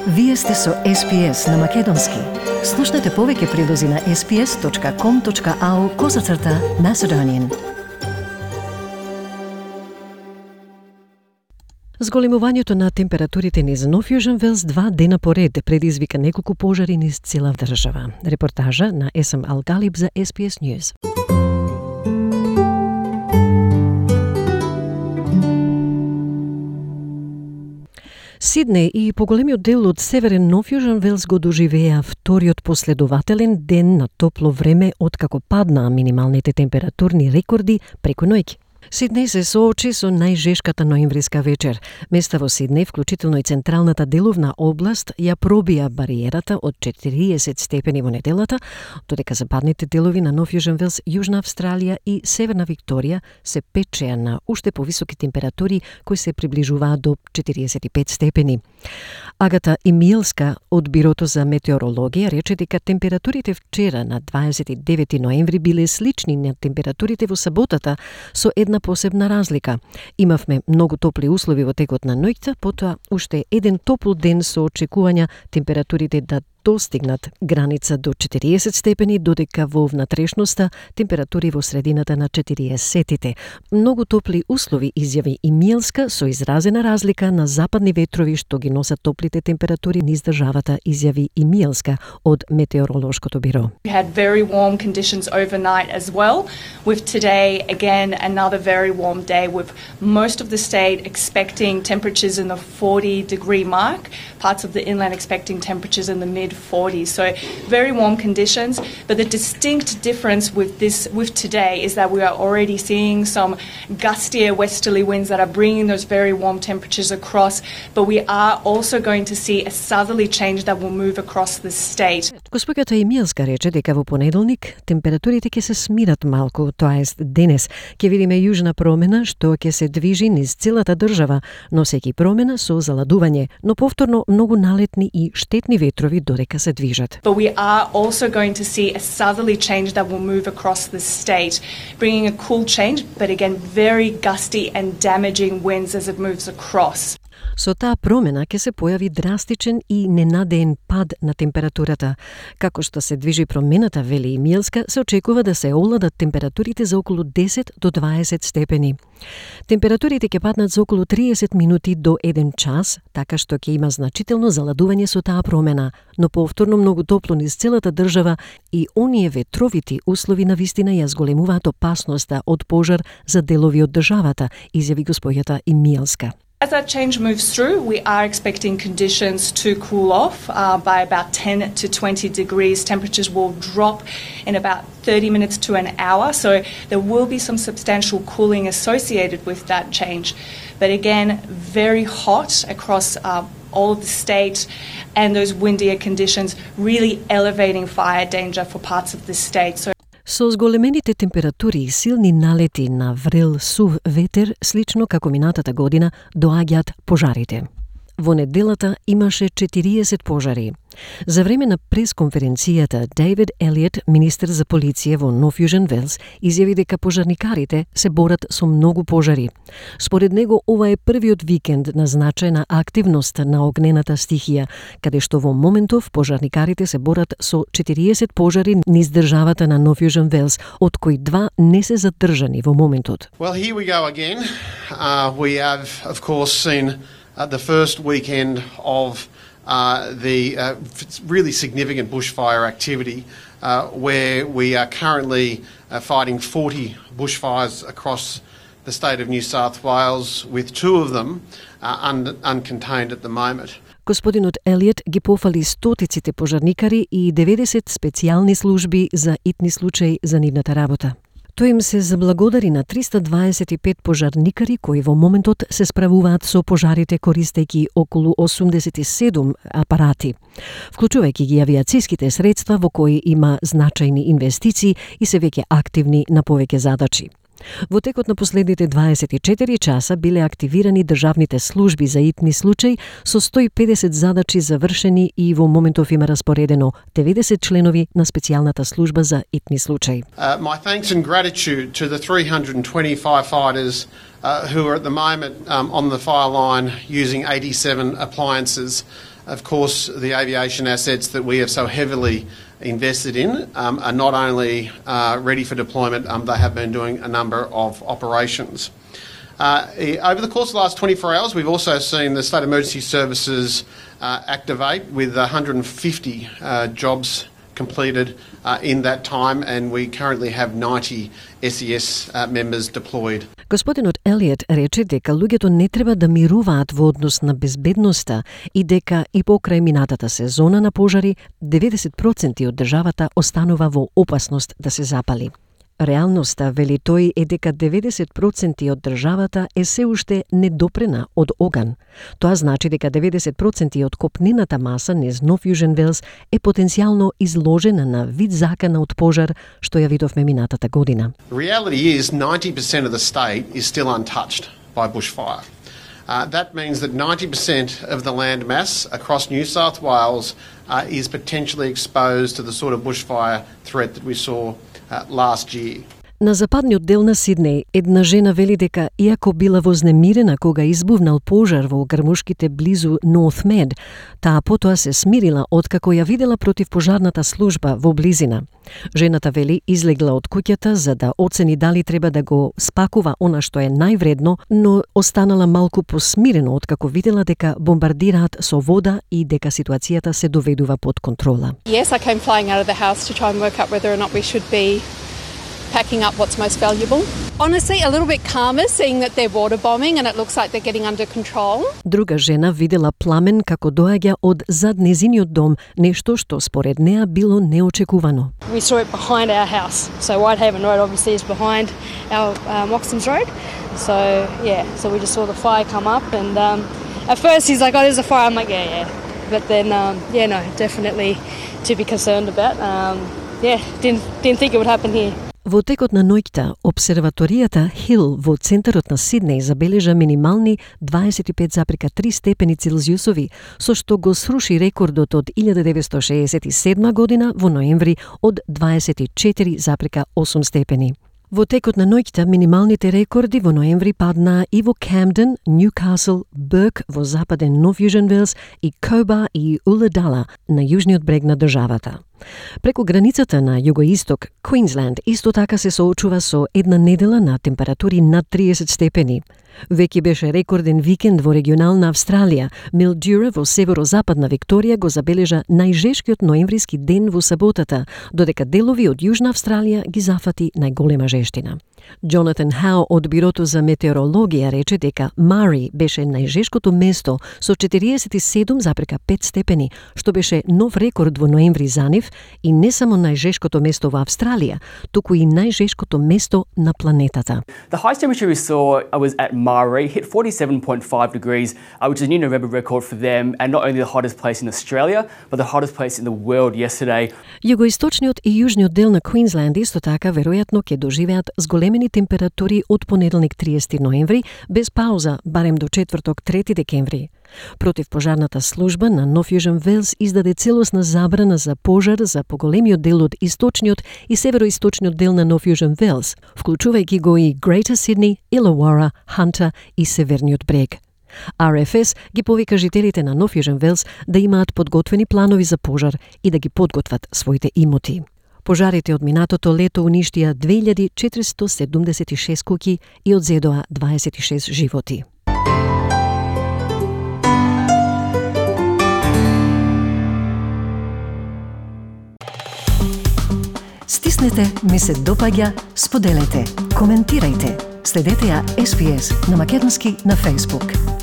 Вие сте со SPS на Македонски. Слушнете повеќе прилози на sps.com.au/Macedonian. Зголемувањето на температурите низ Нов Јужен Велс 2 дена поред предизвика неколку пожари низ цела држава. Репортажа на Есам Алгалиб за SPS News. Сиднеј и поголемиот дел од северен Нов Јужен Велс го доживеа вториот последователен ден на топло време откако паднаа минималните температурни рекорди преку ноќ. Сиднеј се соочи со најжешката ноемвриска вечер. Места во Сиднеј, вклучително и централната деловна област, ја пробија бариерата од 40 степени во неделата, додека западните делови на Нов Јужен Велс, Јужна Австралија и Северна Викторија се печеа на уште повисоки температури кои се приближуваат до 45 степени. Агата Емилска од Бирото за метеорологија рече дека температурите вчера на 29 ноември биле слични на температурите во саботата со една посебна разлика. Имавме многу топли услови во текот на ноќта, потоа уште еден топол ден со очекувања температурите да достигнат граница до 40 степени, додека во внатрешноста температури во средината на 40-тите. Многу топли услови, изјави Емилска, со изразена разлика на западни ветрови што ги носат топлите температури низ државата, изјави Емилска од Метеоролошкото биро. We had very warm conditions overnight as well, with today again another very warm day with most of the state expecting temperatures in the 40-degree mark, parts of the inland expecting temperatures in the mid-40s. So very warm conditions, but the distinct difference with today is that we are already seeing some gustier westerly winds that are bringing those very warm temperatures across, but we are also going to see a southerly change that will move across the state. Госпоѓата Емилска рече дека во понеделник температурите ќе се смират малку, тоа е денес ќе видиме јужна промена што ќе се движи низ целата држава, носејќи промена со заладување, но повторно многу налетни и штетни ветрови додека се движат. But we are also going to see a southerly change that will move across the state, bringing a cool change, but again very gusty and damaging winds as it moves across. Со таа промена ќе се појави драстичен и ненадеен пад на температурата. Како што се движи промената, вели Емилска, се очекува да се овладат температурите за околу 10 до 20 степени. Температурите ќе паднат за околу 30 минути до 1 час, така што ќе има значително заладување со таа промена, но повторно многу топло низ целата држава и оние ветровити услови на вистина ја зголемуваат опасноста од пожар за делови од државата, изјави госпоѓата Емилска. As that change moves through, we are expecting conditions to cool off by about 10 to 20 degrees. Temperatures will drop in about 30 minutes to an hour, so there will be some substantial cooling associated with that change. But again, very hot across all of the state, and those windier conditions really elevating fire danger for parts of the state. Со зголемените температури и силни налети на врел сув ветер, слично како минатата година, доаѓаат пожарите. Во неделата имаше 40 пожари. За време на пресконференцијата, Дейвид Елиот, министер за полиција во Нов Јужен Велс, изјави дека пожарникарите се борат со многу пожари. Според него, ова е првиот викенд на значајна активност на огнената стихија, каде што во моментов пожарникарите се борат со 40 пожари низ државата на Нов Јужен Велс, од кои 2 не се задржани во моментот. Well, here we go again. We have, of course, seen the first weekend of the really significant bushfire activity, where we are currently fighting 40 bushfires across the state of New South Wales, with 2 of them uncontained at the moment. Господинот Елиот ги пофали стотиците пожарникари и 90 специјални служби за итни случаи за нивната работа. Тој им се заблагодари на 325 пожарникари кои во моментот се справуваат со пожарите користејќи околу 87 апарати, вклучувајќи ги авиациските средства во кои има значајни инвестиции и се веќе активни на повеќе задачи. Во текот на последните 24 часа биле активирани државните служби за итни случаи со 150 задачи завршени и во моментов има распоредено 90 членови на специјалната служба за итни случаи. My thanks and gratitude to the 320 firefighters who are at the moment on the fire line using 87 appliances of course, the aviation assets that we have so heavily invested in are not only ready for deployment, they have been doing a number of operations. Over the course of the last 24 hours, we've also seen the State Emergency Services activate with 150 jobs completed in that time, and we currently have 90 SES members deployed. Господинот Елиот рече дека луѓето не треба да мируваат во однос на безбедноста и дека и покрај минатата сезона на пожари 90% од државата останува во опасност да се запали. Реалноста, вели тој, е дека 90% од државата е се уште недопрена од оган. Тоа значи дека 90% од копнената маса низ Нов Јужен Велс е потенцијално изложена на вид закана од пожар, што ја видовме минатата година. The reality is 90% of the state is still untouched by bushfire. That means that 90% of the land mass across New South Wales is potentially exposed to the sort of bushfire threat that we saw last year. На западниот дел на Сиднеј, една жена вели дека иако била вознемирена кога избувнал пожар во грмушките близу North Med, таа потоа се смирила откако ја видела противпожарната служба во близина. Жената вели излегла од куќата за да оцени дали треба да го спакува она што е највредно, но останала малку посмирено откако видела дека бомбардираат со вода и дека ситуацијата се доведува под контрола. Yes, I came flying out of the house to try and work out whether or not we should be packing up what's most valuable. Honestly, a little bit calmer seeing that they're water bombing and it looks like they're getting under control. Друга жена видела пламен како доаѓа од зад незиниот дом, нешто што според неа било неочекувано. We saw it behind our house. So Whitehaven Road obviously is behind our Moxons Road. So so we just saw the fire come up and at first he's like, oh, there's a fire. I'm like, yeah. But then, no, definitely to be concerned about. Didn't think it would happen here. Во текот на ноќта, обсерваторијата Хил во центарот на Сиднеј забележа минимални 25,3 степени Целзиусови, со што го сруши рекордот од 1967 година во ноември од 24,8 степени. Во текот на ноќта минималните рекорди во ноември паднаа и во Камден, Ньюкасл, Бърк во западен Нов Јужен Велс и Коба и Уладала на јужниот брег на државата. Преку границата на југоисток, Квинсленд исто така се соочува со една недела на температури над 30 степени. Веќе беше рекорден викенд во регионална Австралија. Милдюра во северозападна Викторија го забележа најжешкиот ноемвриски ден во саботата, додека делови од Јужна Австралија ги зафати најголема жештина. Джонатан Хау од Бирото за метеорологија рече дека Мари беше најжешкото место со 47,5 степени, што беше нов рекорд во ноември за нив и не само најжешкото место во Австралија, туку и најжешкото место на планетата. The highest temperature we saw was at Mari, hit 47.5 degrees, which is a new November record for them, and not only the hottest place in Australia, but the hottest place in the world yesterday. Југоисточниот и јужниот дел на Квинсленд исто така веројатно ќе доживеат зголемени температури од понеделник 30 ноември, без пауза, барем до четврток 3 декември. Противпожарната служба на Нов Јужен Велс издаде целосна забрана за пожар за поголемиот дел од источниот и североисточниот дел на Нов Јужен Велс, вклучувајќи го и Greater Sydney, Illawarra, Hunter и северниот брег. RFS ги повика жителите на Нов Јужен Велс да имаат подготвени планови за пожар и да ги подготват своите имоти. Пожарите од минатото лето уништија 2476 куќи и одзедоа 26 животи. Стиснете, ми се допаѓа, споделете, коментирајте. Следете ја SPS на македонски на Facebook.